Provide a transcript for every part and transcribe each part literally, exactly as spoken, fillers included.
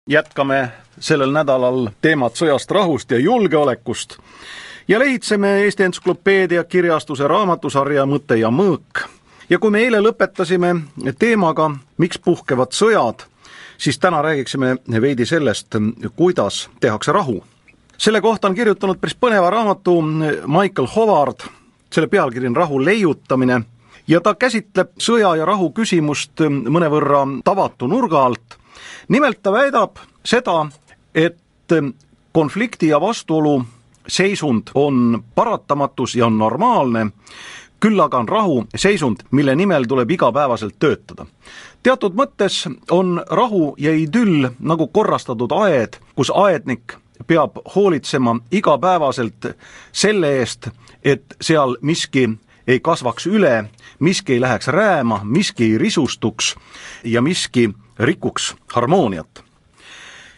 jätkame sellel nädalal teemat sõjast, rahust ja julgeolekust ja lehitseme Eesti Entsüklopeedia kirjastuse raamatusarja Mõte ja mõõk. Ja kui me eile lõpetasime teemaga, miks puhkevad sõjad, siis täna räägiksime veidi sellest, kuidas tehakse rahu. Selle kohta on kirjutanud päris põneva raamatu Michael Howard, selle pealkiri on Rahu leiutamine, ja ta käsitleb sõja ja rahu küsimust mõnevõrra tavatu nurga alt. Nimelt ta väidab seda, et konflikti ja vastuolu seisund on paratamatus ja on normaalne, küll aga on rahu seisund, mille nimel tuleb igapäevaselt töötada. Teatud mõttes on rahu ja idüll nagu korrastatud aed, kus aednik peab hoolitsema igapäevaselt selle eest, et seal miski ei kasvaks üle, miski ei läheks rääma, miski ei risustuks ja miski rikuks harmooniat.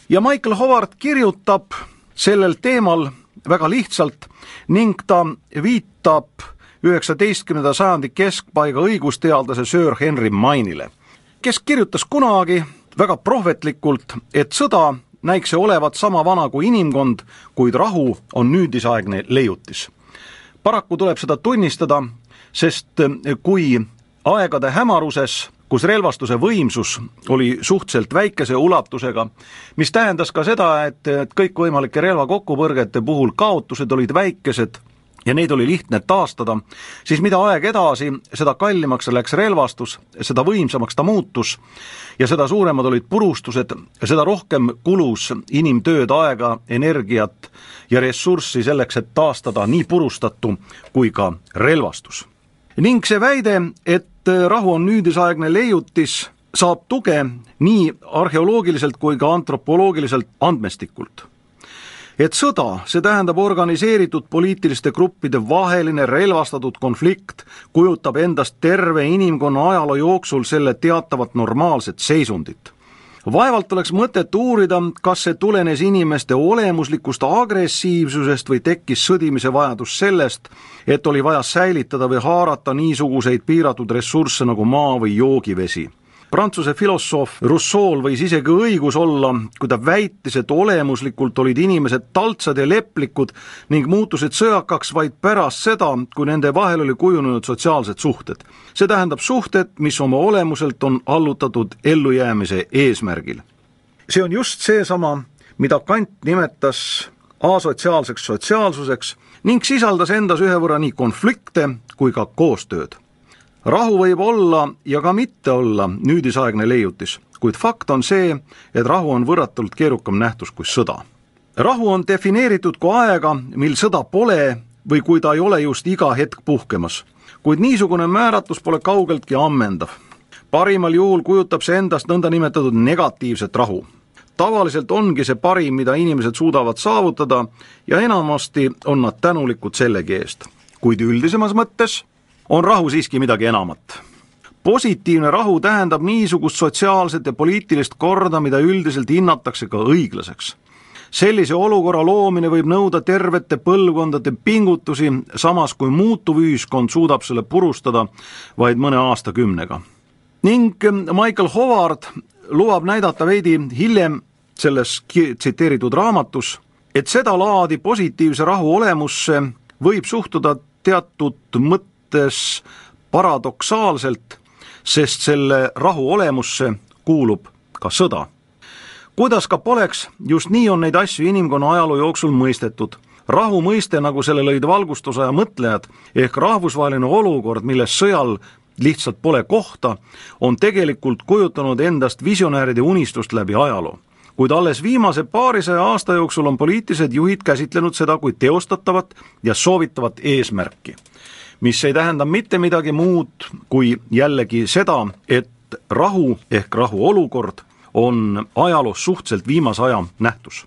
Ja Michael Howard kirjutab sellel teemal väga lihtsalt ning ta viitab üheksateistkümnenda sajandi keskpaiga õigusteadlase Sir Henry Mainile, kes kirjutas kunagi väga prohvetlikult, et sõda näiks olevat sama vana kui inimkond, kuid rahu on nüüdisaegne leiutis. Paraku tuleb seda tunnistada, sest kui aegade hämaruses, kus relvastuse võimsus oli suhteliselt väikese ulatusega, mis tähendas ka seda, et kõikvõimalike relvakokkupõrgete puhul kaotused olid väikesed ja neid oli lihtne taastada, siis mida aeg edasi, seda kallimaks läks relvastus, seda võimsamaks ta muutus ja seda suuremad olid purustused, seda rohkem kulus inimtööd, aega, energiat ja ressurssi selleks, et taastada nii purustatu kui ka relvastus. Ning see väide, et rahu on nüüdisaegne leiutis, saab tuge nii arheoloogiliselt kui ka antropoloogiliselt andmestikult. Et sõda, see tähendab organiseeritud poliitiliste gruppide vaheline relvastatud konflikt, kujutab endast terve inimkonna ajaloo jooksul selle teatavat normaalset seisundit. Vaevalt oleks mõtet uurida, kas see tulenes inimeste olemuslikust agressiivsusest või tekkis sõdimise vajadus sellest, et oli vaja säilitada või haarata niisuguseid piiratud ressursse nagu maa või joogivesi. Prantsuse filosoof Rousseau võis isegi õigus olla, kui ta väitis, et olemuslikult olid inimesed taltsad ja leplikud ning muutusid sõjakaks vaid pärast seda, kui nende vahel oli kujunenud sotsiaalsed suhted. See tähendab suhted, mis oma olemuselt on allutatud ellujäämise eesmärgil. See on just seesama, mida Kant nimetas asotsiaalseks sotsiaalsuseks ning sisaldas endas ühe võrra nii konflikte kui ka koostööd. Rahu võib olla ja ka mitte olla nüüdisaegne leiutis, kuid fakt on see, et rahu on võrratult keerukam nähtus kui sõda. Rahu on defineeritud kui aega, mil sõda pole või kui ta ei ole just iga hetk puhkemas, kuid niisugune määratlus pole kaugeltki ammendav. Parimal juhul kujutab see endast nõnda nimetatud negatiivset rahu. Tavaliselt ongi see parim, mida inimesed suudavad saavutada ja enamasti on nad tänulikud sellegi eest, kuid üldisemas mõttes on rahu siiski midagi enamat. Positiivne rahu tähendab niisugust sotsiaalset ja poliitilist korda, mida üldiselt hinnatakse ka õiglaseks. Sellise olukorra loomine võib nõuda tervete põlvkondade pingutusi, samas kui muutuv ühiskond suudab selle purustada vaid mõne aastakümnega. Ning Michael Howard lubab näidata veidi hiljem selles tsiteeritud raamatus, et seda laadi positiivse rahu olemusse võib suhtuda teatud mõttes paradoksaalselt, sest selle rahu olemusse kuulub ka sõda. Kuidas ka poleks, just nii on neid asju inimkonna ajaloo jooksul mõistetud. Rahu mõiste, nagu selle lõid valgustusaja mõtlejad, ehk rahvusvaheline olukord, milles sõjal lihtsalt pole kohta, on tegelikult kujutanud endast visionääride unistust läbi ajaloo. Kuid alles viimase paarisaja aasta jooksul on poliitilised juhid käsitlenud seda kui teostatavat ja soovitavat eesmärki, mis ei tähenda mitte midagi muud kui jällegi seda, et rahu ehk rahuolukord on ajaloos suhteliselt viimase aja nähtus.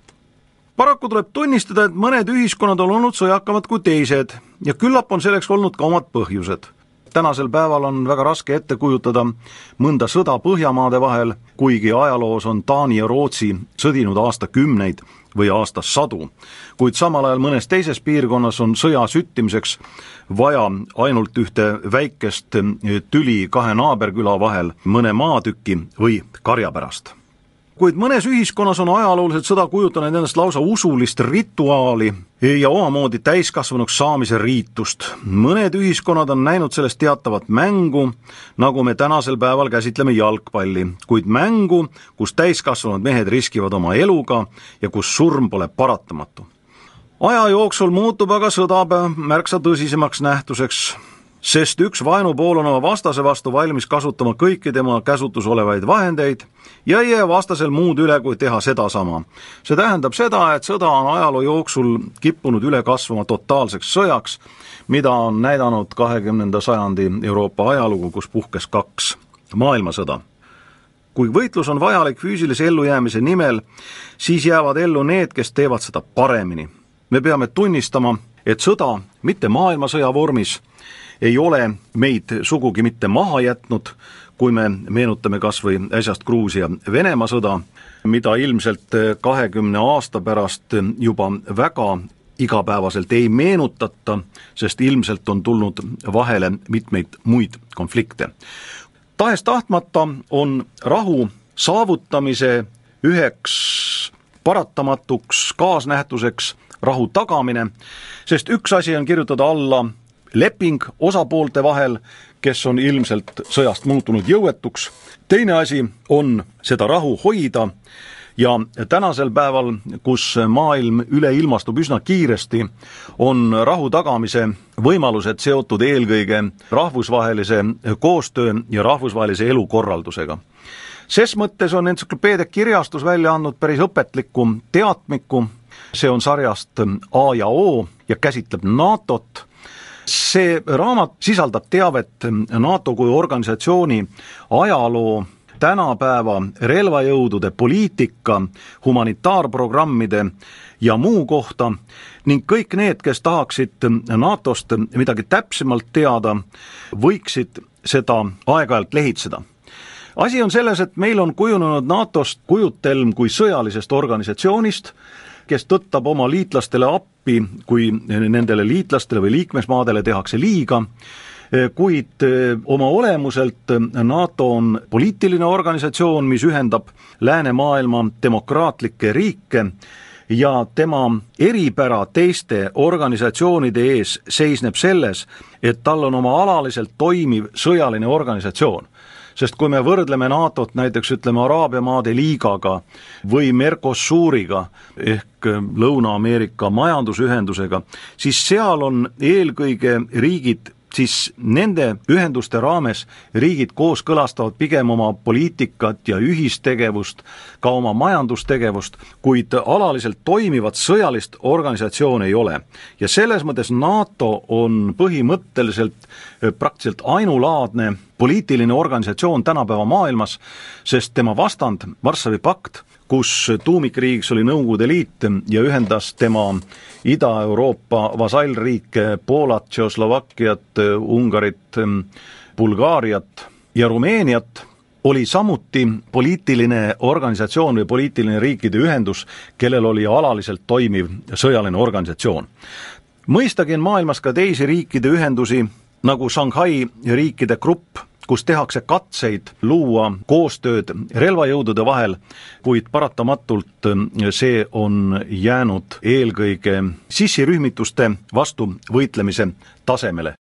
Paraku tuleb tunnistada, et mõned ühiskonnad on olnud sõjakamad kui teised ja küllap on selleks olnud ka omad põhjused. Tänasel päeval on väga raske ette kujutada mõnda sõda Põhjamaade vahel, kuigi ajaloos on Taani ja Rootsi sõdinud aastakümneid või aastasadu, kuid samal ajal mõnes teises piirkonnas on sõja süttimiseks vaja ainult ühte väikest tüli kahe naaberküla vahel, mõne maatüki või karja pärast. kuid mõnes ühiskonnas on ajaloolised sõda kujutanud endast lausa usulist rituaali ja omamoodi täiskasvanuks saamise riitust. Mõned ühiskonnad on näinud sellest teatavat mängu, nagu me tänasel päeval käsitleme jalgpalli, kuid mängu, kus täiskasvanud mehed riskivad oma eluga ja kus surm pole paratamatu. Aja jooksul muutub aga sõda märksa tõsisemaks nähtuseks, sest üks vaenupool on oma vastase vastu valmis kasutama kõiki tema käsutus olevaid vahendeid ja ei jää vastasel muud üle, kui teha seda sama. See tähendab seda, et sõda on ajaloo jooksul kippunud üle kasvama totaalseks sõjaks, mida on näidanud kahekümnenda sajandi Euroopa ajalugu, kus puhkes kaks maailmasõda. Kui võitlus on vajalik füüsilise ellujäämise nimel, siis jäävad ellu need, kes teevad seda paremini. Me peame tunnistama, et sõda, mitte maailmasõja vormis, ei ole meid sugugi mitte maha jätnud, kui me meenutame kas või äsjast Gruusia-Venemaa sõda, mida ilmselt kahekümne aasta pärast juba väga igapäevaselt ei meenutata, sest ilmselt on tulnud vahele mitmeid muid konflikte. Tahes tahtmata on rahu saavutamise üheks paratamatuks kaasnähtuseks rahu tagamine, sest üks asi on kirjutada alla leping osapoolte vahel, kes on ilmselt sõjast muutunud jõuetuks. Teine asi on seda rahu hoida ja tänasel päeval, kus maailm üleilmastub üsna kiiresti, on rahu tagamise võimalused seotud eelkõige rahvusvahelise koostöö ja rahvusvahelise elukorraldusega. Ses mõttes on entsüklopeedia kirjastus välja andnud päris õpetlikku teatmiku, see on sarjast A ja O ja käsitleb NATOt. See raamat sisaldab teavet NATO kui organisatsiooni ajaloo, tänapäeva relvajõudude poliitika, humanitaarprogrammide ja muu kohta ning kõik need, kes tahaksid NATOst midagi täpsemalt teada, võiksid seda aeg-ajalt lehitseda. Asi on selles, et meil on kujunenud NATOst kujutelm kui sõjalisest organisatsioonist, kes tõttab oma liitlastele appi, kui nendele liitlastele või liikmesmaadele tehakse liiga, kuid oma olemuselt NATO on poliitiline organisatsioon, mis ühendab läänemaailma demokraatlikke riike ja tema eripära teiste organisatsioonide ees seisneb selles, et tal on oma alaliselt toimiv sõjaline organisatsioon. Sest kui me võrdleme NATOt näiteks ütleme Araabia maade liigaga või Mercosuriga ehk Lõuna-Ameerika majandusühendusega, siis seal on eelkõige riigid, siis nende ühenduste raames riigid kooskõlastavad pigem oma poliitikat ja ühistegevust, ka oma majandustegevust, kuid alaliselt toimivat sõjalist organisatsiooni ei ole. Ja selles mõttes NATO on põhimõtteliselt praktiliselt ainulaadne poliitiline organisatsioon tänapäeva maailmas, sest tema vastand, Varssavi pakt, kus tuumikriigiks oli Nõukogude Liit ja ühendas tema Ida-Euroopa vasallriike, Poolat, Tšehhoslovakkiat, Ungarit, Bulgaariat ja Rumeeniat, oli samuti poliitiline organisatsioon või poliitiline riikide ühendus, kellel oli alaliselt toimiv sõjaline organisatsioon. Mõistagi on maailmas ka teisi riikide ühendusi, nagu Shanghai riikide grupp, kus tehakse katseid luua koostööd relvajõudude vahel, kuid paratamatult see on jäänud eelkõige sissirühmituste vastu võitlemise tasemele.